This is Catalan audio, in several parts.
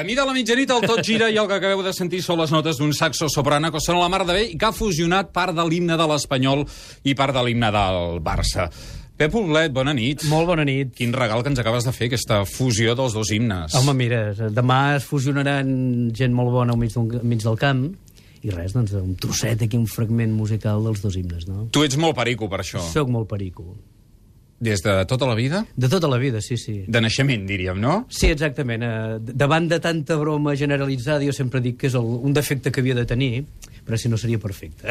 camí de la mitjanit, el tot gira i el que acabeu de sentir són les notes d'un saxo soprano que sona la mar de bé i que ha fusionat part de l'himne de l'Espanyol i part de l'himne del Barça. Pep Poblet, bona nit. Molt bona nit. Quin regal que ens acabes de fer, aquesta fusió dels dos himnes. Home, mira, demà es fusionaran gent molt bona al mig del camp i res, doncs, un trosset aquí, un fragment musical dels dos himnes, no? Tu ets molt perico, per això. Soc molt perico. Des de tota la vida? De tota la vida, sí, sí. De naixement, diríem, no? Sí, exactament. Davant de tanta broma generalitzada, jo sempre dic que és un defecte que havia de tenir, però si no seria perfecte.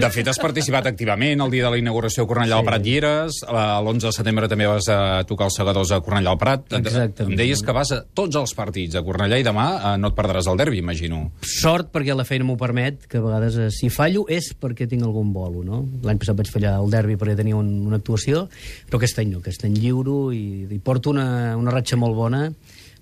De fet, has participat activament el dia de la inauguració a Cornellà al Prat i eres. L'11 de setembre també vas tocar els segadors a Cornellà al Prat. Exactament. Em deies que vas a tots els partits a Cornellà i demà no et perdràs el derbi, imagino. Sort, perquè la feina m'ho permet, que a vegades si fallo és perquè tinc algun bolo, no? L'any passat vaig fallar el derbi perquè tenia una actuació, però aquest any no, aquest any lliuro i porto una ratxa molt bona.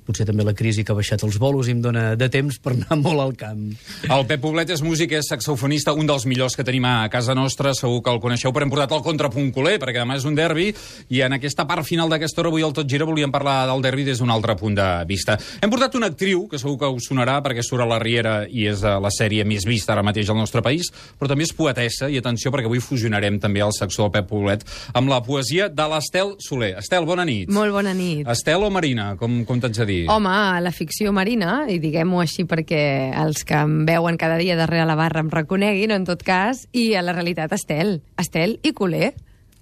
Potser també la crisi que ha baixat els bolos i em dona de temps per anar molt al camp. El Pep Poblet és músic, és saxofonista, un dels millors que tenim a casa nostra, segur que el coneixeu, però hem portat el contrapunt culer, perquè demà és un derbi, i en aquesta part final d'aquesta hora, avui al Tot Gira, volíem parlar del derbi des d'un altre punt de vista. Hem portat una actriu, que segur que us sonarà, perquè surt a la Riera i és la sèrie més vista ara mateix al nostre país, però també és poetessa, i atenció, perquè avui fusionarem també el saxó del Pep Poblet amb la poesia de l'Estel Soler. Estel, bona nit. Molt bona nit. Estel o Marina, com t'haig de dir? Home, la ficció marina, i diguem-ho així perquè els que em veuen cada dia darrere la barra em reconeguin, en tot cas, i a la realitat Estel i culer.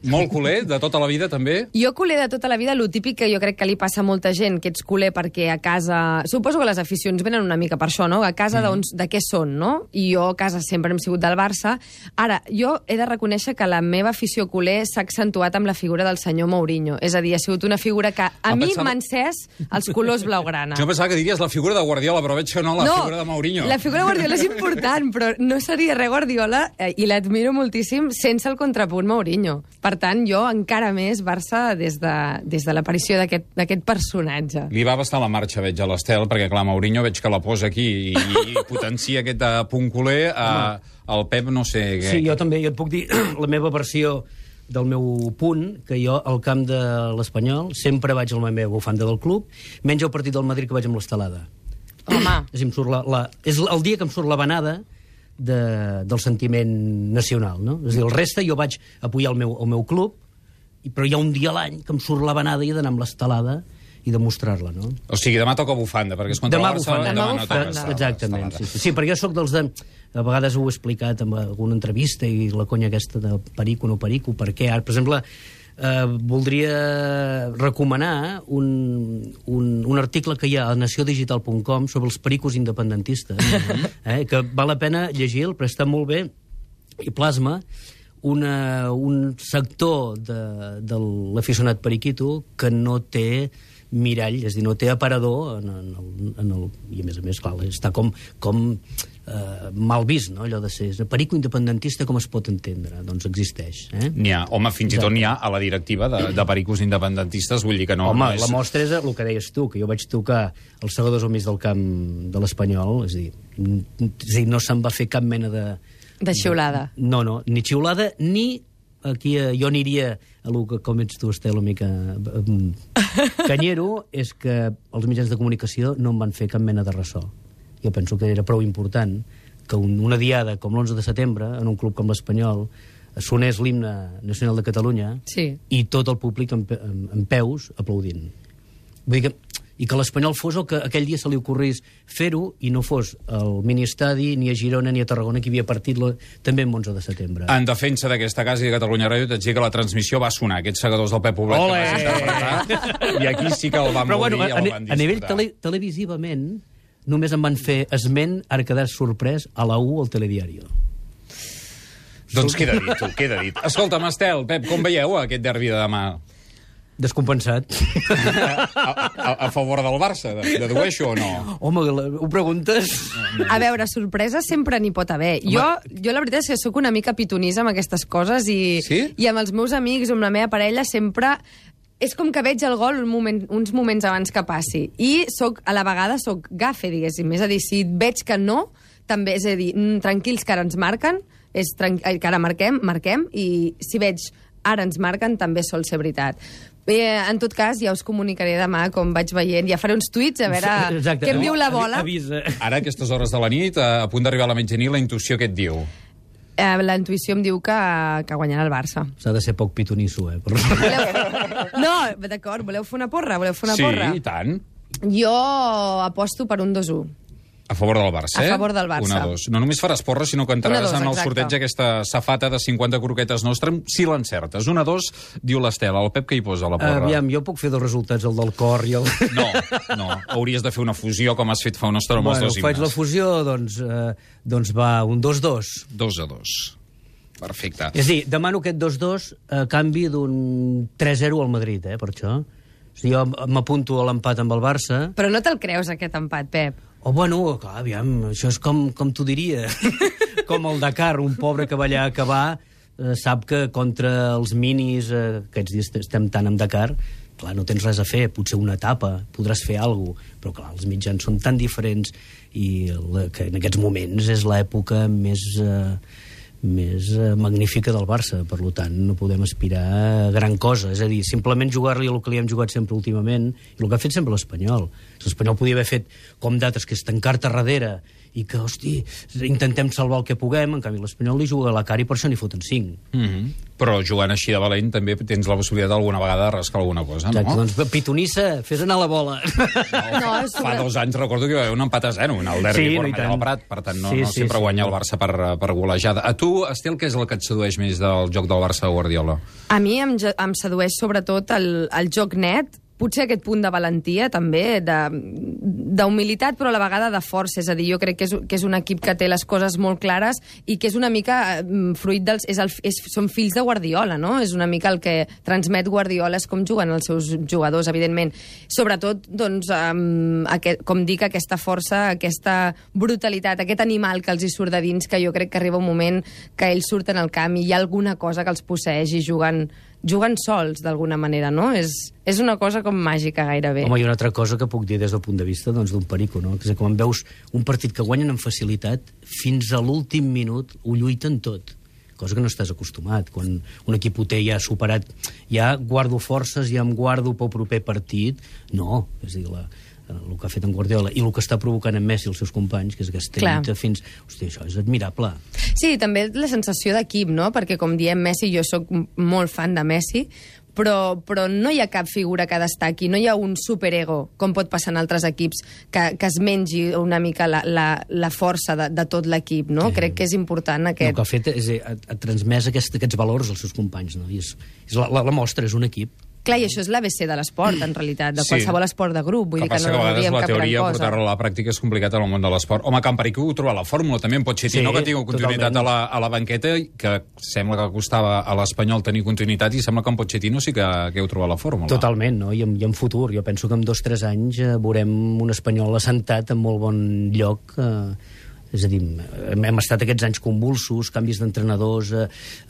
Molt culer, de tota la vida, també? Jo culer de tota la vida, lo típic que jo crec que li passa a molta gent, que ets culer perquè a casa... Suposo que les aficions venen una mica per això, no? A casa de què són, no? I jo a casa sempre hem sigut del Barça. Ara, jo he de reconèixer que la meva afició culer s'ha accentuat amb la figura del senyor Mourinho. És a dir, ha sigut una figura que a mi m'ha encès els colors blaugrana. Jo pensava que diries la figura de Guardiola, però veig que no, figura de Mourinho. La figura de Guardiola és important, però no seria res Guardiola, i l'admiro moltíssim, sense el contrapunt Mourinho. Per tant, jo encara més Barça des de l'aparició d'aquest personatge. Li va bastar la marxa, veig, a l'Estel, perquè, clar, Mourinho veig que la posa aquí i potencia aquest punt culer. El Pep, no sé... Sí, jo també, jo et puc dir la meva versió del meu punt, que jo al camp de l'Espanyol sempre vaig amb la meva bufanda del club, menys el partit del Madrid que vaig amb l'estelada. Home! És el dia que em surt la vanada del sentiment nacional, no? És a dir, el reste jo vaig apoyar el meu club, però hi ha un dia a l'any que em surt la vanada i he d'anar amb l'estelada i demostrar-la, no? O sigui, demà toca bufanda, perquè és contra el Barça, demà no toca. Exactament, sí, perquè jo sóc dels de... A vegades ho he explicat en alguna entrevista i la conya aquesta de perico, no perico, per què? Ara, per exemple, voldria recomanar un article que hi ha a naciodigital.com sobre els pericos independentistes, que val la pena llegir-lo, però està molt bé, i plasma un sector de l'aficionat periquito que no té mirall, és a dir, no té aparador i a més, clar, està com mal vist, no?, allò de ser perico independentista, com es pot entendre? Doncs existeix. N'hi ha, home, fins i tot n'hi ha a la directiva de pericos independentistes, vull dir que no... Home, la mostra és el que deies tu, que jo vaig tocar els segadors al mig del camp de l'Espanyol, és a dir, no se'n va fer cap mena de... De xiulada. No, ni xiulada, ni... Aquí jo aniria a lo que, com ets tu, Estel, una mica canyero, és que els mitjans de comunicació no em van fer cap mena de ressò. Jo penso que era prou important que una diada com l'11 de setembre, en un club com l'Espanyol, sonés l'himne nacional de Catalunya, sí, i tot el públic en peus aplaudint. Vull dir que... I que l'Espanyol fos el que aquell dia se li ocorrís fer-ho i no fos al miniestadi, ni a Girona ni a Tarragona, que hi havia partit també en 11 de setembre. En defensa d'aquesta casa i de Catalunya Ràdio, t'haig de dir que la transmissió va sonar, aquests segadors del Pep Poblet que vas interpretar, i aquí sí que el van morir i el van disfrutar. A nivell televisivament, només em van fer esment, ara quedar sorprès, a la U al Telediario. Doncs queda dit, tu, queda dit. Escolta'm, Estel, Pep, com veieu aquest derbi de demà? Descompensat. A favor del Barça, dedueixo o no? Home, ho preguntes? A veure, sorpresa sempre n'hi pot haver. Jo la veritat és que sóc una mica pitonisa amb aquestes coses i amb els meus amics o amb la meva parella sempre... És com que veig el gol uns moments abans que passi. I a la vegada soc gafe, diguéssim. És a dir, si veig que no, també, és a dir, tranquils que ara ens marquen, que ara marquem, i si veig ara ens marquen, també sol ser veritat. En tot cas, ja us comunicaré demà com vaig veient. Ja faré uns tuits a veure què em diu la bola. Avisa. Ara, a aquestes hores de la nit, a punt d'arribar a la mitjanit, la intuïció què et diu? La intuïció em diu que guanyarà el Barça. S'ha de ser poc pitonisso, No, d'acord, voleu fer una porra? Sí, i tant. Jo aposto per un 2-1. A favor del Barça, A favor del Barça. 1-2. No només faràs porra, sinó que entraràs en el sorteig aquesta safata de 50 croquetes nostra, si l'encertes. 1-2, diu l'Estela. El Pep què hi posa a la porra? Aviam, jo puc fer dos resultats, el del cor i el... No. Hauries de fer una fusió, com has fet fa una estona amb els dos himnes. Faig la fusió, doncs va, un 2-2. 2-2. Perfecte. És a dir, demano aquest 2-2 a canvi d'un 3-0 al Madrid, per això. O sigui, jo m'apunto a l'empat amb el Barça. Però no te'l creus, aquest empat, Pep? Oh, bueno, clar, aviam, això és com t'ho diria. Com el Dakar, un pobre que va allà a acabar, sap que contra els minis, aquests dies estem tant amb Dakar, clar, no tens res a fer, potser una etapa, podràs fer alguna cosa, però clar, els mitjans són tan diferents i que en aquests moments és l'època més magnífica del Barça, per tant no podem aspirar a gran cosa, és a dir, simplement jugar-li el que li hem jugat sempre últimament i el que ha fet sempre l'Espanyol. L'Espanyol podia haver fet com d'altres, que és tancar-te darrere i que, hosti, intentem salvar el que puguem, en canvi l'Espanyol li juga a la cara i per això n'hi foten 5. Però jugant així de valent també tens la possibilitat alguna vegada de rascar alguna cosa, no? Exacte, doncs pitonissa, fes anar la bola. Fa 2 anys recordo que hi va haver un empat a 0 en el derbi al Prat, per tant no sempre guanya el Barça per golejada. A tu, Estel, què és el que et sedueix més del joc del Barça de Guardiola? A mi em sedueix sobretot el joc net, potser aquest punt de valentia, també, d'humilitat, però a la vegada de força. És a dir, jo crec que és un equip que té les coses molt clares i que és una mica fruit dels... Són fills de Guardiola, no? És una mica el que transmet Guardiola, és com juguen els seus jugadors, evidentment. Sobretot, doncs, com dic, aquesta força, aquesta brutalitat, aquest animal que els hi surt de dins, que jo crec que arriba un moment que ells surten al camp i hi ha alguna cosa que els posseeix i juguen sols, d'alguna manera, no? És una cosa com màgica, gairebé. Home, hi ha una altra cosa que puc dir des del punt de vista d'un perico, no? Que és que quan veus un partit que guanyen amb facilitat, fins a l'últim minut ho lluiten tot, cosa que no estàs acostumat. Quan un equip ho té ja superat, ja guardo forces, ja em guardo pel proper partit. No, és a dir, el que ha fet en Guardiola i el que està provocant en Messi i els seus companys, que és aquesta lluita fins... Hòstia, això és admirable. Sí, també la sensació d'equip, no? Perquè, com diem Messi, jo sóc molt fan de Messi, però no hi ha cap figura que destaqui, no hi ha un superego, com pot passar en altres equips, que es mengi una mica la força de tot l'equip, no? Crec que és important aquest... El que ha fet és ha transmès aquests valors als seus companys, no? I la mostra és un equip. Clar, i això és l'ABC de l'esport, en realitat, de qualsevol esport de grup. Vull dir que no diem cap gran cosa. La teoria, portar-la a la pràctica és complicat en el món de l'esport. Home, Can Perico ho trobar la fórmula, també en Pochettino, que tingui continuïtat a la banqueta, que sembla que costava a l'Espanyol tenir continuïtat, i sembla que en Pochettino sí que heu trobat la fórmula. Totalment, no? I en futur. Jo penso que en 2 o 3 anys veurem un Espanyol assentat en molt bon lloc. És a dir, hem estat aquests anys convulsos, canvis d'entrenadors,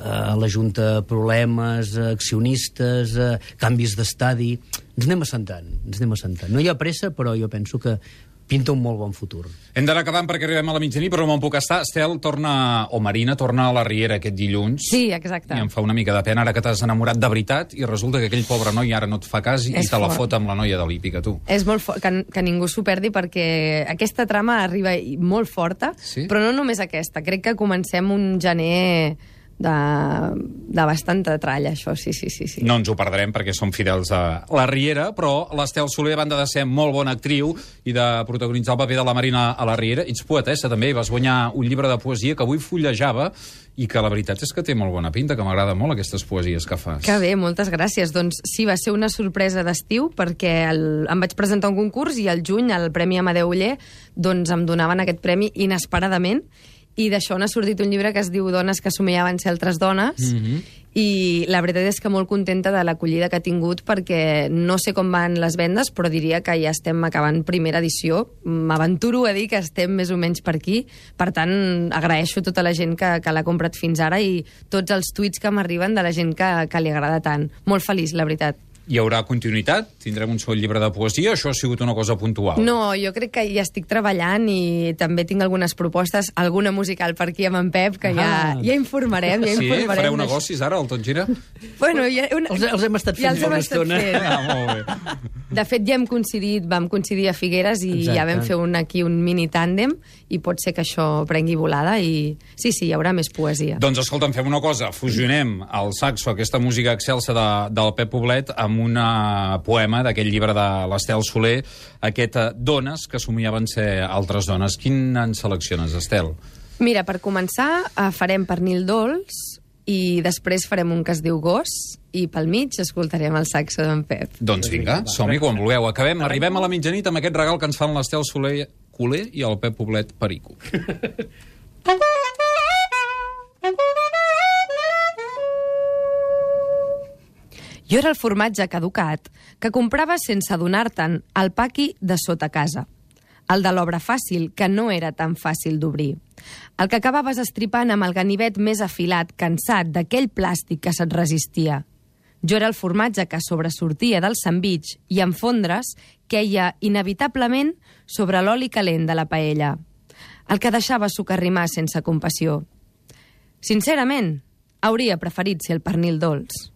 a la Junta problemes, accionistes, canvis d'estadi... Ens anem assentant. No hi ha pressa, però jo penso que pinta un molt bon futur. Hem d'anar acabant perquè arribem a la mitjanit, però no me'n puc estar. Estel Marina torna a la Riera aquest dilluns. Sí, exacte. I em fa una mica de pena ara que t'has enamorat de veritat i resulta que aquell pobre noi ara no et fa cas i te la fot amb la noia de l'Hípica, tu. És molt fort, que ningú s'ho perdi, perquè aquesta trama arriba molt forta, però no només aquesta. Crec que comencem un gener de bastanta tralla, això, sí. No ens ho perdrem perquè som fidels a la Riera, però l'Estel Soler, a banda de ser molt bona actriu i de protagonitzar el paper de la Marina a la Riera, ets poetessa també, i vas guanyar un llibre de poesia que avui fullejava i que la veritat és que té molt bona pinta, que m'agrada molt aquestes poesies que fas. Que bé, moltes gràcies. Doncs sí, va ser una sorpresa d'estiu, perquè em vaig presentar un concurs i al juny, al Premi Amadeu Oller, doncs em donaven aquest premi inesperadament, i d'això n'ha sortit un llibre que es diu Dones que somiaven ser altres dones, i la veritat és que molt contenta de l'acollida que ha tingut, perquè no sé com van les vendes, però diria que ja estem acabant primera edició. M'aventuro a dir que estem més o menys per aquí. Per tant, agraeixo tota la gent que l'ha comprat fins ara i tots els tuits que m'arriben de la gent que li agrada tant. Molt feliç, la veritat. Hi haurà continuïtat? Tindrem un sol llibre de poesia? Això ha sigut una cosa puntual? No, jo crec que hi estic treballant i també tinc algunes propostes, alguna musical per aquí amb en Pep, que ja informarem, ja informarem. Sí? Fareu negocis ara, el Tot Gira? Bueno, els hem estat fent una estona. Molt bé. De fet, ja vam coincidir a Figueres i ja vam fer aquí un mini tàndem i pot ser que això prengui volada i sí, hi haurà més poesia. Doncs escolta'm, fem una cosa, fusionem el saxo, aquesta música excelsa del Pep Poblet, amb un poema d'aquell llibre de l'Estel Soler, aquest Dones, que somiaven ser altres dones. Quin en selecciones, Estel? Mira, per començar, farem Pernil dolç i després farem un que es diu Gos i pel mig escoltarem el saxo d'en Pep. Doncs vinga, som-hi quan vulgueu. Arribem a la mitjanit amb aquest regal que ens fan l'Estel Soler Culer i el Pep Poblet Perico. Jo era el formatge caducat que compraves sense adonar-te'n al paqui de sota casa. El de l'obra fàcil, que no era tan fàcil d'obrir. El que acabaves estripant amb el ganivet més afilat, cansat d'aquell plàstic que se't resistia. Jo era el formatge que sobresortia del sandvitx i en fondre's queia inevitablement sobre l'oli calent de la paella. El que deixava socarrimar sense compassió. Sincerament, hauria preferit ser el pernil dolç.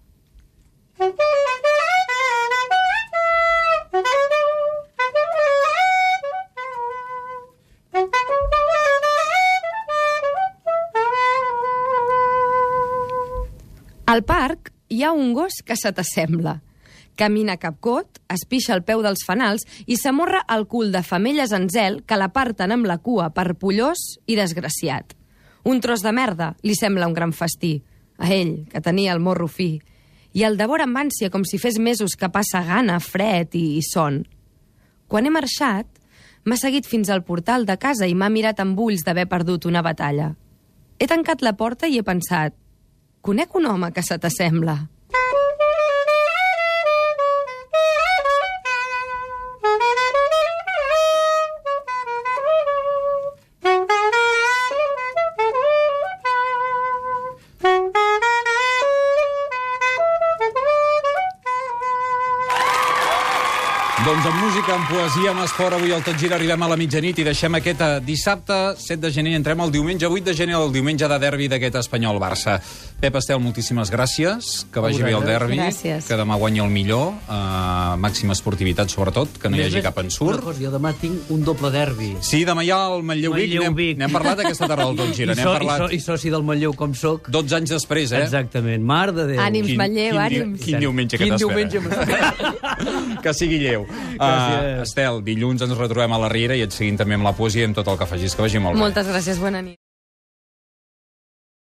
Al parc hi ha un gos que se t'assembla. Camina capcot, es pixa al peu dels fanals i s'amorra el cul de femelles en zel que l'aparten amb la cua per pollós i desgraciat. Un tros de merda li sembla un gran festí. A ell, que tenia el morro fi. I el devora amb ànsia com si fes mesos que passa gana, fred i son. Quan he marxat, m'ha seguit fins al portal de casa i m'ha mirat amb ulls d'haver perdut una batalla. He tancat la porta i he pensat: conec un home que se t'assembla. Doncs amb música, amb poesia, amb esport, avui al Tot Gira arribem a la mitjanit i deixem aquest dissabte 7 de gener i entrem el diumenge 8 de gener, el diumenge de derbi d'aquest Espanyol-Barça. Pep, Estel, moltíssimes gràcies, que vagi bé el derbi, gràcies. Que demà guanyi el millor, màxima esportivitat sobretot, que no hi hagi cap ensurt. Una cosa, jo demà tinc un doble derbi. Sí, demà hi ha el Manlleu-Vic, n'hem parlat aquesta tarda al Tot Gira, I soci del Manlleu com soc. 12 anys després, Exactament, mar de Déu. Ànims, Manlleu, ànims. Quin diumenge que t'espera. Que sigui lleu. Estel, dilluns ens retrobem a la Riera i et seguim també amb la poesia i amb tot el que facis. Que vagi molt bé. Moltes gràcies, bona nit.